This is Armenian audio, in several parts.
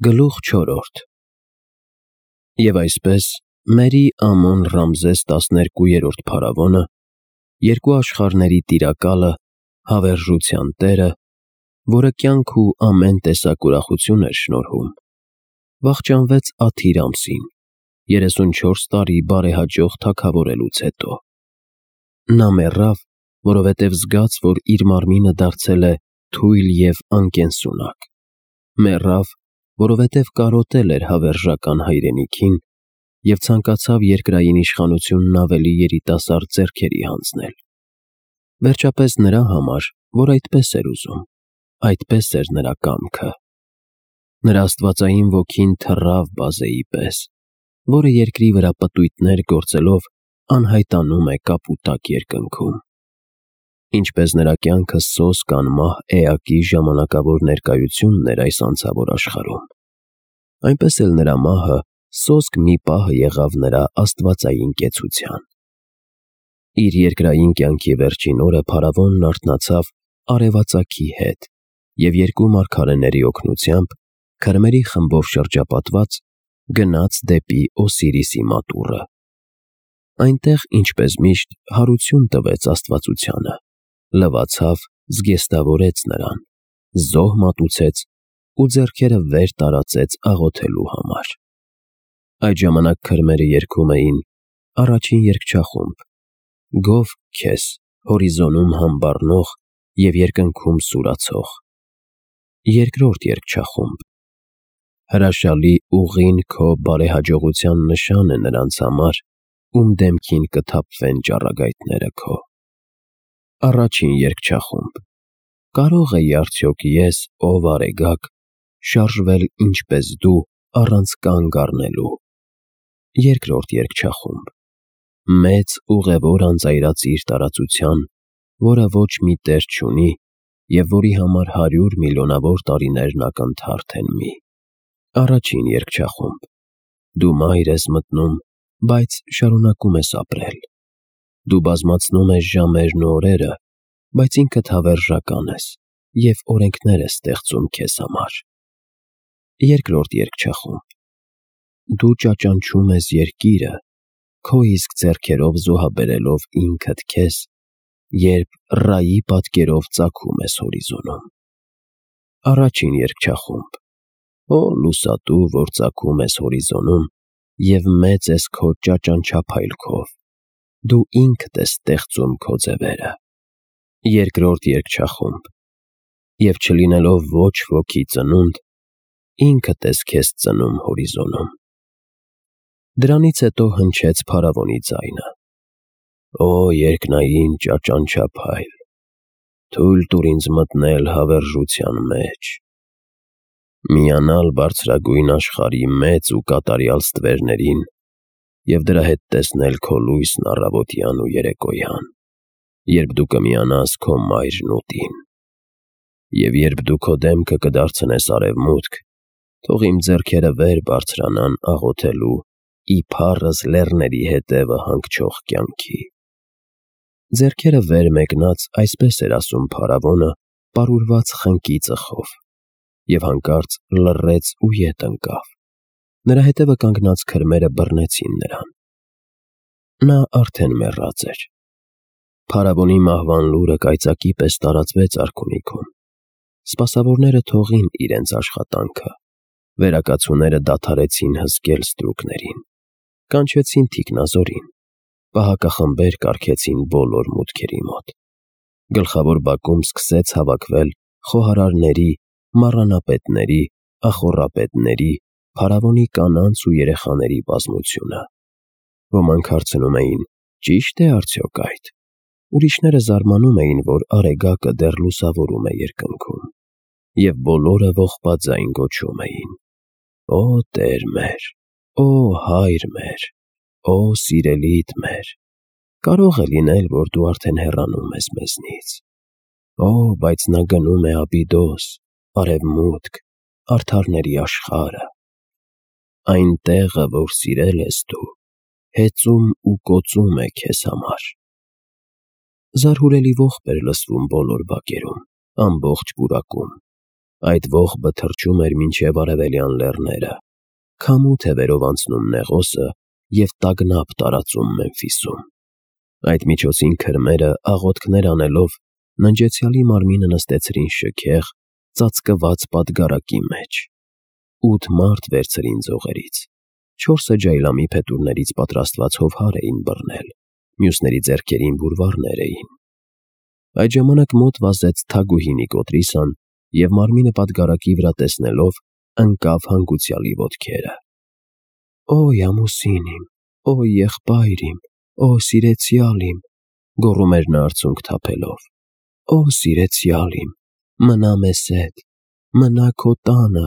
Գլուխ 4 Եվ այսպես Մերի Ամոն Ռամզես 12-րդ փարավոնը, երկու աշխարհների տիրակալը, հավերժության տերը, որը կյանք ու ամեն տեսակ ուրախություն էր շնորհում, վախճանվեց Աթիր ամսին, 34 տարի բարեհաջող թագավորելուց հետո։ Նա մեռավ, որովհետև զգաց, որ իր մարմինը դարձել է թույլ և անկենսունակ, մեռավ, որովհետև կարոտել էր հավերժական հայրենիքին և ցանկացավ երկրային իշխանությունն ավելի երիտասարդ ձեռքերի հանձնել։ Վերջապես նրա համար, որ այդպես էր ուզում, այդպես էր նրա կամքը։ Նրա աստվածային ոգին թռավ բազեի պես, որը երկրի վրա պտույտներ գործելով անհայտանում է կապուտակ երկնքում։ Ինչպես նրա կյանքը սոսկ անմահ էակի ժամանակավոր ներկայությունն էր այս անցավոր աշխարհում, այնպես էլ նրա մահը սոսկ մի պահ եղավ նրա աստվածային կեցության։ Իր երկրային կյանքի վերջին օրը փարավոնն արթնացավ արևածագի հետ և երկու մարգարեների օգնությամբ, քրմերի խմբով շրջապատված, գնաց դեպի Օսիրիսի մատուռը։ Այնտեղ, ինչպես միշտ, հարություն տվեց աստվածությանը, լվացավ, զգեստավորեց նրան, զոհ մատուցեց ու ձեռքերը վեր տարածեց աղոթելու համար։ Այդ ժամանակ քրմերը երգում էին առաջին երգչախումբ. «Գոհ քեզ, հորիզոնում համբառնող և երկնքում սուրացող»։ Երկրորդ երգչախումբ. «Հրաշալի ուղին քո բարեհաջողության նշան է նրանց համար, ում դեմքին կթափվեն ճառագայթները քո»։ Առաջին երգչախումբ. «Կարո՞ղ էի արդյոք ես, ով արեգակ, շարժվել ինչպես դու առանց կանգ առնելու»։ Երկրորդ երգչախումբ. «Մեծ ուղևոր անծայրածիր տարածության, որը ոչ մի տեր չունի և որի համար 100 միլիոնավոր տարիներն ակնթարթ են մի»։ Առաջին երգչախումբ. «Դու մայր ես մտնում, բայց շարունակում ես ապրել։ Դու բազմացնում ես ժամերն ու օրերը, բայց ինքդ հավերժական ես և օրենքներ ես ստեղծում քեզ համար»։ Երկրորդ երգչախումբ. «Դու ճաճանչում ես երկիրը, քո իսկ ձեռքերով զոհաբերելով ինքդ քեզ, երբ Ռայի պատկերով ծագում ես հորիզոնում»։ Առաջին երգչախումբ. «Օ լուսատու, որ ծագում ես հորիզոնում և մեծ ես քո ճաճանչափայլքով, դու ինքդ ես ստեղծում քո ձևերը»։ Երկրորդ երգչախումբ. «Եվ չլինելով ոչ ոքի ծնունդ, ինքդ ես քեզ ծնում հորիզոնում»։ Դրանից հետո հնչեց փարավոնի ձայնը. «Օ երկնային ճաճանչափայլ, թույլ տուր ինձ մտնել հավերժության մեջ, միանալ բարձրագույն աշխարհի մեծ ու կատարյալ ստվերներին և դրա հետ տեսնել քո լույսն առավոտյան ու երեկոյան, երբ դու կմիանաս քո մայրն ուտին։ Եվ երբ դու քո դեմքը կդարձնես արևմուտք, թող իմ ձեռքերը վեր բարձրանան աղոթելու ի փառս լեռների հետևը հանգչող կյանքի»։ Ձեռքերը վեր մեկնած այսպես էր ասում փարավոնը պարուրված խնկի ծխով, և հանկարծ լռեց ու ետ ընկավ։ Նրա հետևը կանգնած քրմերը բռնեցին նրան։ Նա արդեն մեռած էր։ Փարավոնի մահվան լուրը կայծակի պես տարածվեց արքունիքում։ Սպասավորները թողին իրենց աշխատանքը, վերակացուները դադարեցին հսկել ստրուկներին, կանչեցին թիկնազորին, պահակախմբեր կարգեցին բոլոր մուտքերի մոտ։ Գլխավոր բակում սկսեց հավաքվել խոհարարների, մառանապետների, ախոռապետների, փարավոնի կանանց ու երեխաների բազմությունը։ Ոմանք հարցնում էին. ճի՞շտ է արդյոք այդ։ Ուրիշները զարմանում էին, որ արեգակը դեռ լուսավորում է երկնքում, և բոլորը ողբած ձայն գոչում էին. «Օ Տեր մեր, օ Հայր մեր, օ սիրելիդ մեր, կարո՞ղ է լինել, որ դու արդեն հեռանում ես մեզնից։ Օ, բայց նա գնում է Աբիդոս, արևմուտք, արդարների աշխարհը, այն տեղը, որ սիրել ես դու, հեծում ու կոծում է քեզ համար»։ Զարհուրելի ողբ էր լսվում բոլոր բակերում, ամբողջ պուրակում, Այդ ողբը թռչում էր մինչև արևելյան լեռները, քամու թևերով անցնում Նեղոսը և տագնապ տարածում Մեմֆիսում։ Այդ միջոցին քրմերը, աղոթքներ անելով, ննջեցյալի մարմինը նստեցրին շքեղ, ծածկված պատգարակի մեջ։ 8 մարդ վերցրին ձողերից, 4-ը ջայլամի փետուրներից պատրաստված հովհար էին բռնել, մյուսների ձեռքերին բուրվարներ էին։ Այդ ժամանակ մոտ վազեց Թագուհի Նիկոտրիսան և մարմինը պատգարակի վրա տեսնելով ընկավ հանգուցյալի ոտքերը։ «Օй ամուսին իմ, օй եղբայր իմ, օ սիրեցյալ իմ», գոռում էր նա արցունք թափելով, «Օ սիրեցյալ իմ, մնա մեզ հետ, մնա քո տանը,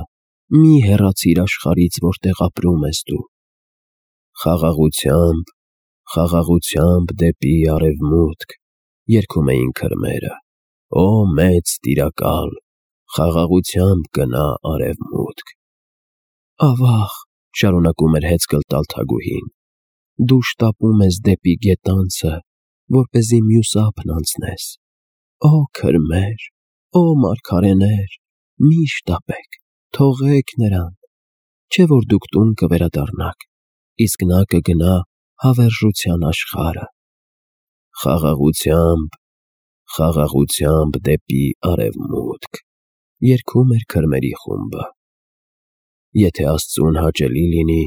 մի հեռացիր աշխարհից, որտեղ ապրում ես դու»։ Խաղաղությամբ, խաղաղությամբ դեպի արևմուտք, երգում էին քրմերը, «Օ մեծ Տիրակալ, խաղաղությամբ գնա արևմուտք»։ «Ավաղ», շարունակում էր հեծկլ տալ Թագուհին, «դու շտապում ես դեպի գետանցը, որպեսզի մյուս ափն անցնես։ Օ քրմեր, օ մարգարեներ, մի շտապեք, թողեք նրան, չէ՞ որ դուք տուն կվերադառնաք, իսկ նա կգնա հավերժության աշխարհը։ Խաղաղությամբ, խաղաղությամբ դեպի արևմուտք», երգում էր քրմերի խումբը։ «Եթե Աստծուն հաճելի լինի,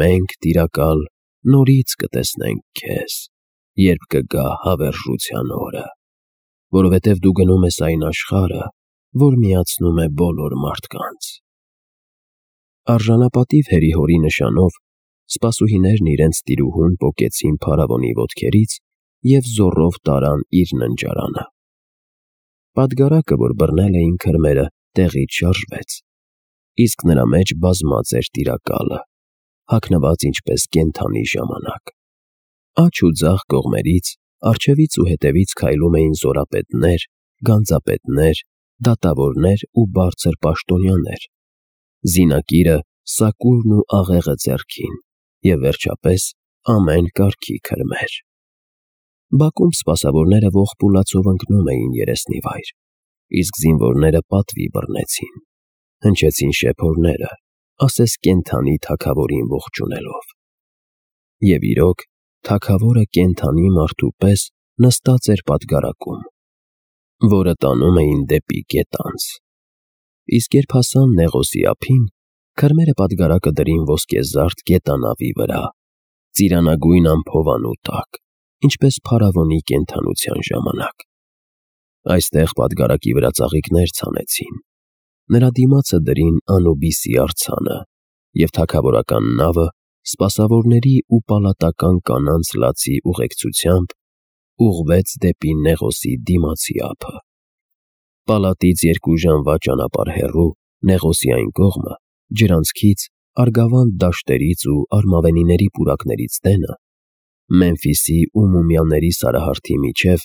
մենք, Տիրակալ, նորից կտեսնենք քեզ, երբ կգա հավերժության օրը, որովհետև դու գնում ես այն աշխարհը, որ միացնում է բոլոր մարդկանց»։ Արժանապատիվ հերի-հորի նշանով սպասուհիներն իրենց տիրուհուն պոկեցին փարավոնի ոտքերից և զոռով տարան իր ննջարանը։ Պատգարակը, որ բռնել էին քրմերը, տեղից շարժվեց, իսկ նրա մեջ բազմած էր Տիրակալը, հագնված ինչպես կենդանի ժամանակ։ Աջ ու ձախ կողմերից, առջևից ու հետևից քայլում էին զորապետներ, գանձապետներ, դատավորներ ու բարձր պաշտոնյաներ, զինակիրը, սակուրն ու աղեղը ձեռքին, և վերջապես ամեն կարգի քրմեր։ Բակում սպասավորները ողբ ու լացով ընկնում էին երեսնիվայր, իսկ զինվորները պատվի բռնեցին, հնչեցին շեփորները, ասես կենդանի թագավորին ողջունելով։ Եվ իրոք, թագավորը կենդանի մարդու պես նստած էր պատգարակում, որը տանում էին դեպի գետանց։ Իսկ երբ հասան Նեղոսի ափին, քրմերը պատգարակը դրին ոսկեզարդ գետանավի վրա, ծիրանագույն ամփովանու տակ, ինչպես փարավոնի կենդանության ժամանակ։ Այստեղ պատգարակի վրա ծաղիկներ ցանեցին, նրա դիմացը դրին Անուբիսի արձանը, և թագավորական նավը սպասավորների ու պալատական կանանց լացի ուղեկցությամբ ուղղվեց դեպի Նեղոսի դիմացի ափը։ Պալատից 2 ժամվա ճանապարհ հեռու, Նեղոսի այն կողմը, ջրանցքից, Արգավանդ դաշտերից ու արմավենիների պուրակներից դենը, Մեմֆիսի ու Մումիաների սարահարթի միջև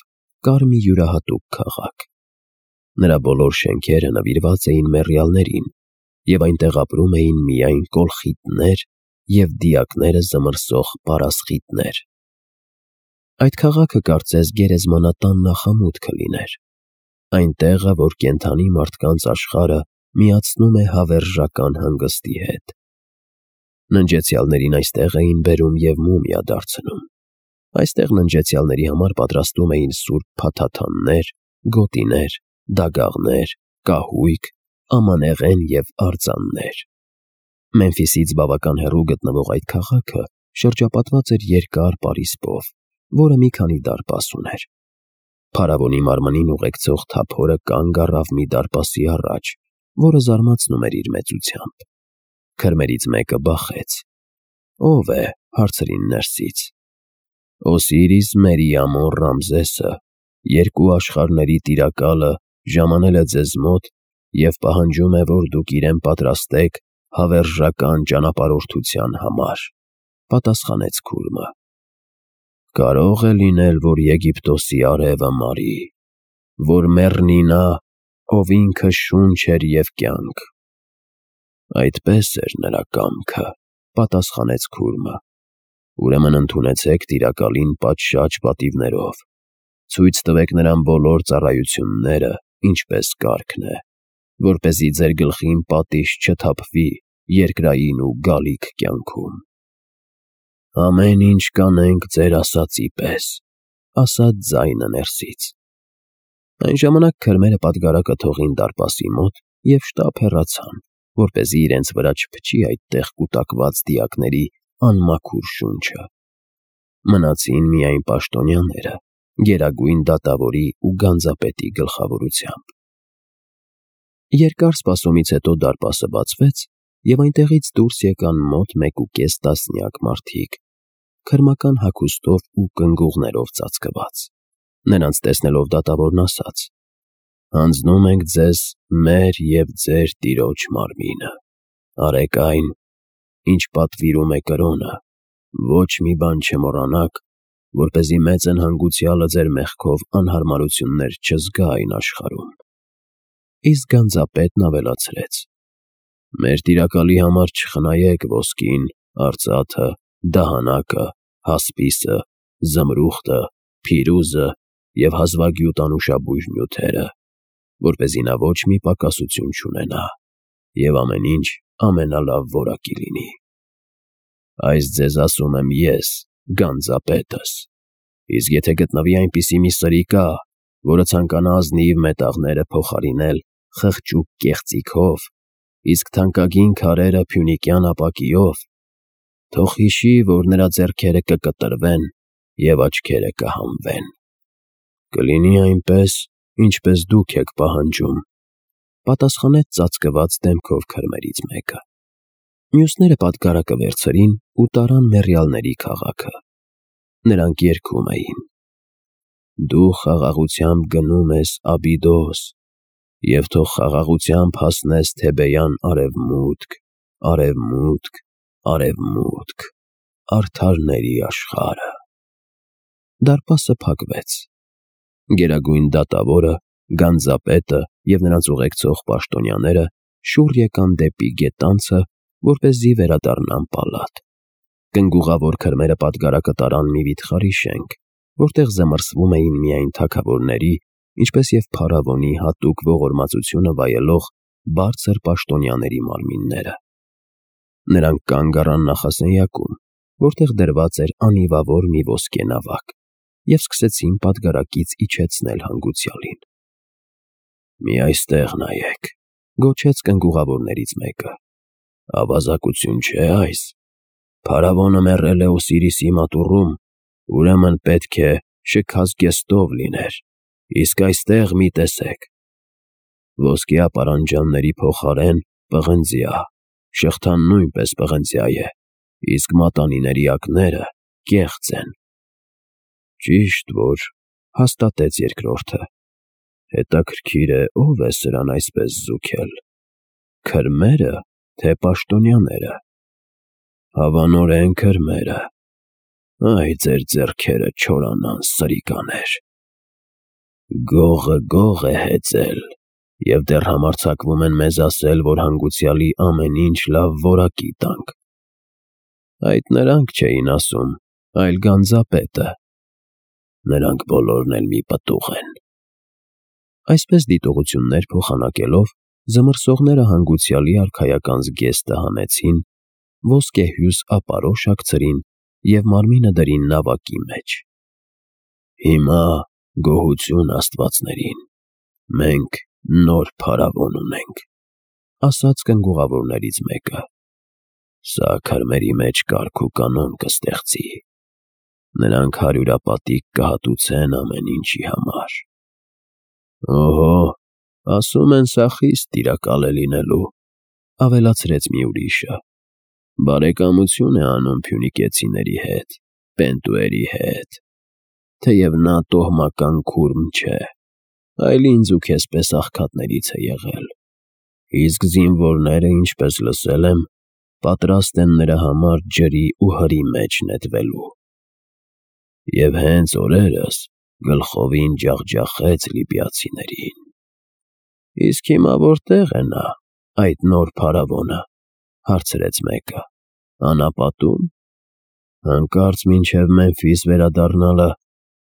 կար մի յուրահատուկ քաղաք։ Նրա բոլոր շենքերը նվիրված էին մեռյալներին, և այնտեղ ապրում էին միայն կոլխիտներ և դիակները զմռսող պարասխիտներ։ Այդ քաղաքը կարծես գերեզմանատան նախամուտքը լիներ, այն տեղը, որ կենդանի մարդկանց աշխարհը միացնում է հավերժական հանգստի հետ։ Ննջեցյալներին այստեղ էին բերում և մումիա դարձնում։ Այստեղ ննջեցյալների համար պատրաստում էին սուրբ փաթաթաններ, գոտիներ, դագաղներ, կահույք, ամանեղեն և արձաններ։ Մեմֆիսից բավական հեռու գտնվող այդ քաղաքը շրջապատված էր երկար պարիսպով, որը մի քանի դարպաս ուներ։ Փարավոնի մարմնին ուղեկցող թափորը կանգ առավ մի դարպասի առաջ, որը զարմացնում էր իր մեծությամբ։ Քրմերից մեկը բախեց. «Ո՞վ է», հարցրին ներսից։ «Օսիրիս Մերիամոն Ռամզեսը, 2 աշխարհների Տիրակալը, ժամանել է ձեզ մոտ և պահանջում է, որ դուք իրեն պատրաստեք հավերժական ճանապարհորդության համար», պատասխանեց քուրմը։ «Կարո՞ղ է լինել, որ Եգիպտոսի արևը մարի, որ մեռնի նա, ով ինքը շունչ էր և կյանք»։ «Այդպես էր նրա կամքը», պատասխանեց քուրմը։ «Ուրեմն ընդունեցեք Տիրակալին պատշաճ պատիվներով, ցույց տվեք նրան բոլոր ծառայությունները, ինչպես կարգն է, որպեսզի ձեր գլխին պատիժ չթափվի երկրային ու գալիք կյանքում։ Ամեն ինչ կանենք ձեր ասածի պես, ասաց ձայնը ներսից։ Այն ժամանակ քրմերը պատգարակը թողին դարպասի մոտ և շտապ հեռացան, որպեսզի իրենց վրա չփչի այդտեղ կուտակված դիակների անմաքուր շունչը։ Մնացին միայն պաշտոնյաները, գերագույն դատավորի ու գանձապետի գլխավորությամբ։ Երկար սպասումից հետո դարպասը բացվեց, և այնտեղից դուրս եկան մոտ 1.5 տասնյակ մարդիկ, քրմական հագուստով ու կնգուղներով ծածկված։ Նրանց տեսնելով դատավորն ասաց. «Հանձնում ենք ձեզ մեր և ձեր տիրոջ մարմինը։ Արեք այն, ինչ պատվիրում է կրոնը, ոչ մի բան չմոռանաք, որպեսզի մեծն հանգուցյալը ձեր մեղքով անհարմարություններ չզգա այն աշխարհում»։ Իսկ գանձապետն ավելացրեց. «Մեր տիրակալի համար չխնայեք ոսկին, արծաթը, դահանակը, հասպիսը, զմրուխտը, փիրուզը և հազվագյուտ անուշաբույր նյութերը, որպեսզի նա ոչ մի պակասություն չունենա, և ամեն ինչ ամենալավ որակի լինի։ Այս ձեզ ասում եմ ես, գանձապետս, իսկ եթե գտնվի այնպիսի մի սրիկա, որը ցանկանա ազնիվ մետաղները փոխարինել խղճուկ կեղծիքով, իսկ թանկագին քարերը փյունիկյան ապակիով, թող հիշի, որ նրա ձեռքերը կկտրվեն և աչքերը կհանվեն։ Կլինի այնպես, ինչպես դուք եք պահանջում», պատասխանեց ծածկված դեմքով քրմերից մեկը։ Մյուսները պատգարակը վերցրին ու տարան մեռյալների քաղաքը։ Նրանք երգում էին. «Դու խաղաղությամբ գնում ես Աբիդոս, և թող խաղաղությամբ հասնես Թեբեյան արևմուտք, արևմուտք, արևմուտք, արդարների աշխարհը»։ Դարպասը փակվեց։ Գերագույն դատավորը, գանձապետը և նրանց ուղեկցող պաշտոնյաները շուռ եկան դեպի գետանցը, որպեսզի վերադառնան պալատ։ Կնգուղավոր քրմերը պատգարակը տարան մի վիթխարի շենք, որտեղ զմռսվում էին միայն թագավորների, ինչպես և փարավոնի հատուկ ողորմածությունը վայելող բարձր պաշտոնյաների մարմինները։ Նրանք կանգ առան նախասենյակում, որտեղ դրված էր անիվավոր մի ոսկե նավակ, և սկսեցին պատգարակից իջեցնել հանգուցյալին։ «Մի այստեղ նայեք», գոչեց կնգուղավորներից մեկը։ «Ավազակություն չէ՞ այս։ Փարավոնը մեռել է Օսիրիսի մատուռում, ուրեմն պետք է շքազգեստով լիներ, իսկ այստեղ մի տեսեք. ոսկյա պարանջանների փոխարեն պղնձյա, շղթան նույնպես պղնձյա է, իսկ մատանիների ակները կեղծ են»։ «Ճիշտ որ», հաստատեց երկրորդը։ «Հետաքրքիր է, ով է սրան այսպես զուգել, քրմե՞րը, թե պաշտոնյաները»։ «Հավանորեն քրմերը։ Այ ձեր ձեռքերը չորանան, սրիկաներ։ Գողը գող է հեծել, և դեռ համարձակվում են մեզ ասել, որ հանգուցյալի ամեն ինչ լավ որակի տանք։ Այդ նրանք չէին ասում, այլ գանձապետը։ Նրանք բոլորն էլ մի պտուղ են»։ Այսպես դիտողություններ փոխանակելով, զմռսողները հանգուցյալի արքայական զգեստը հանեցին, ոսկեհյուս ապարոշ հագցրին և մարմինը դրին նավակի մեջ։ «Հիմա գոհություն աստվածներին, մենք նոր փարավոն ունենք», ասաց կնգուղավորներից մեկը։ «Սա քրմերի մեջ կարգ ու կանոն կստեղծի։ Նրանք հարյուրապատիկ կհատուցեն ամեն ինչի համար»։ «Օհո, ասում են սա խիստ տիրակալ է լինելու», ավելացրեց մի ուրիշը։ «Բարեկամություն է անում փյունիկեցիների հետ, Պենտուերի հետ, թեև նա տոհմական քուրմ չէ, այլ ինձ ու քեզ պես աղքատներից է եղել, իսկ զինվորները, ինչպես լսել եմ, պատրաստ են նրա համար ջրի ու հրի մեջ նետվելու։ Եվ հենց օրերս գլխովին ջախջախեց լիբիացիներին։ Իսկ հիմա որտե՞ղ է նա, այդ նոր փարավոնը», հարցրեց մեկը։ «Անապատո՞ւմ։ Հանկարծ մինչև Մեմֆիս վերադառնալը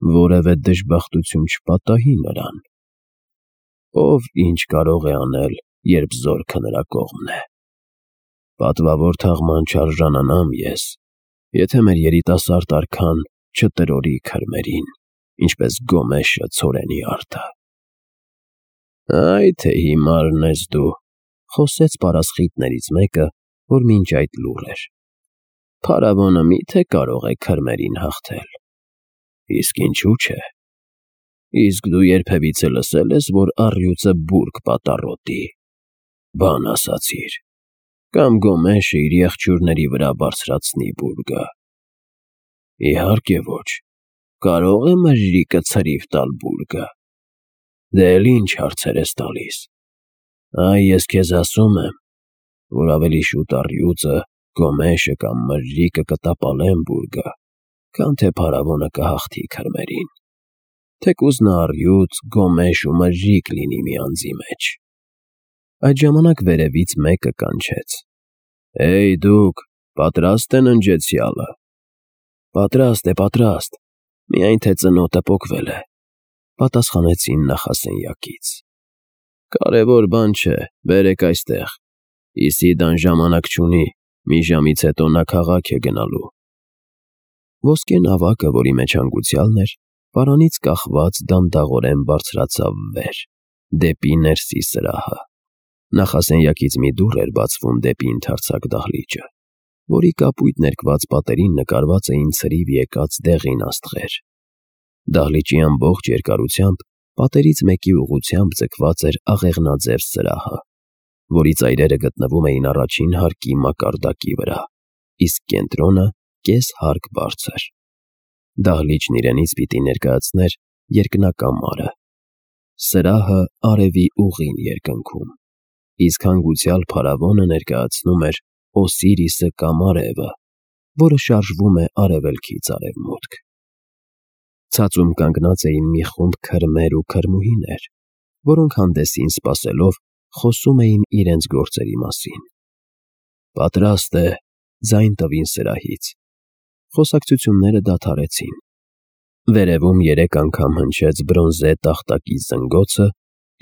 որևէ դժբախտություն չպատահի նրան։ Ով ինչ կարող է անել, երբ զորքը նրա կողմն է։ Պատվավոր թաղման չարժանանամ ես, եթե մեր երիտասարդ արքան չտրորի քրմերին, ինչպես Գոմեշը ցորենի արդը։ Այ թե հիմարն ես դու, խոսեց պարասխիտներից մեկը, որ մինչ այդ լուռ էր։ Փարավոնը միթե կարող է քրմերին հաղթել։ Իսկ ինչու՞ չէ։ Իսկ դու երբևիցե լսել ես, որ առյուծը բուրգ պատառոտի։ Բան ասացիր։ Կամ Գոմեշը իր եղջյուրների վրա բարձրացնի բուրգը։ Իհարկե ոչ։ Կարող է մժրիկը ցրիվ տալ բուրգը։ Դե էլ ինչ հարցեր ես տալիս։ Այ ես քեզ ասում եմ, որ ավելի շուտ առյուծը, Գոմեշը կամ մժրիկը կտապալեն բուրգը, քան թե փարավոնը կհաղթի քրմերին։ Թեկուզ նա առյուծ, Գոմեշ ու մժրիկ լինի մի անձի մեջ։ Այդ ժամանակ վերևից մեկը կանչեց. Էй դուք, պատրաստ են ընջեցյալը։ Պատրաստ է, պատրաստ, միայն թե ծնոտը պոկվել է, պատասխանեցին նախասենյակից։ Կարևոր բան չէ, բերեք այստեղ։ Իսիդան ժամանակ չունի, մի ժամից հետո նա քաղաք է գնալու։ Ոսկե նավակը, որի մեջ հանգուցյալն էր, պարանից կախված դանդաղորեն բարձրացավ վեր, դեպի ներսի սրահը։ Նախասենյակից մի դուռ էր բացվում դեպի ընդարձակ դահլիճը, որի կապույտ ներկված պատերին նկարված էին ցրիվ եկած դեղին աստղեր։ Դահլիճի ամբողջ երկարությամբ պատերից մեկի ուղղությամբ ձգված էր աղեղնաձև սրահը, որի ծայրերը գտնվում էին առաջին հարկի մակարդակի վրա, իսկ կենտրոնը կես հարկ բարձր։ Դահլիճն իրենից պիտի ներկայացներ երկնակամարը։ Սրահը արևի ուղին երկնքում, իսկ հանգուցյալ փարավոնը ներկայացնում էր Օսիրիսը կամ արևը, որը շարժվում է արևելքից արևմուտք։ Ցածում կանգնած էին մի խումբ քրմեր ու քրմուհիներ, որոնք հանդեսին սպասելով խոսում էին իրենց գործերի մասին։ Պատրաստ է, ձայն տվին սրահից։ Խոսակցությունները դադարեցին։ Վերևում 3 անգամ հնչեց բրոնզե տախտակի զնգոցը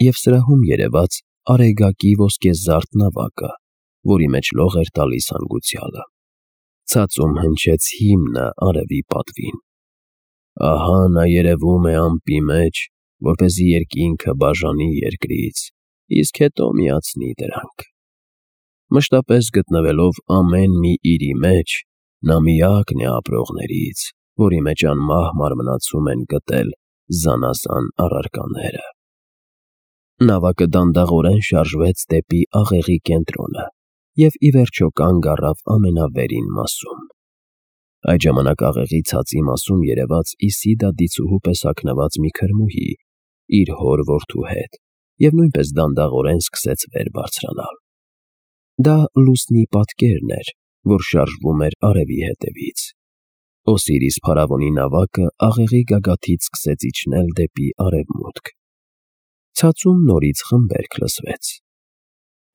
և սրահում երևաց արեգակի ոսկեզարդ նավակը, որի մեջ լող էր տալիս հանգուցյալը։ Ցածում հնչեց հիմնը արևի պատվին։ Ահա նա երևում է ամպի մեջ, որպեսզի երկինքը բաժանի երկրից, իսկ հետո միացնի դրանք։ Մշտապես գտնվելով ամեն մի իրի մեջ, նա միակն է ապրողներից, որի մեջ անմահ մարմնացում են գտել զանազան առարկաները։ Նավակը դանդաղորեն շարժվեց դեպի աղեղի կենտրոնը և ի վերջո կանգ առավ ամենավերին մասում։ Այդ ժամանակ աղեղի ցածի մասում երևաց Իսիդա դիցուհու պես հագնված մի քրմուհի իր հոր որդու հետ և նույնպես դանդաղորեն սկսեց վեր բարձրանալ։ Դա լուսնի պատկերն էր, որ շարժվում էր արևի հետևից։ Օսիրիս փարավոնի նավակը աղեղի գագաթից սկսեց իջնել դեպի արևմուտք։ Ցածում նորից խմբերք լսվեց.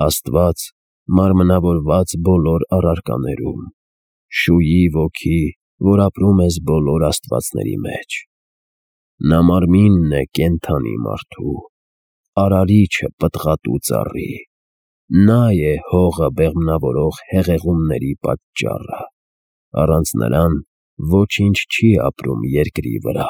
Աստված մարմնավորված բոլոր առարկաներում, շուի ոգի, որ ապրում ես բոլոր աստվածների մեջ։ Նա մարմինն է կենդանի մարդու, արարիչը պտղատու ծառի, նա է հողը բեղմնավորող հեղեղումների պատճառը, առանց նրան ոչինչ չի ապրում երկրի վրա։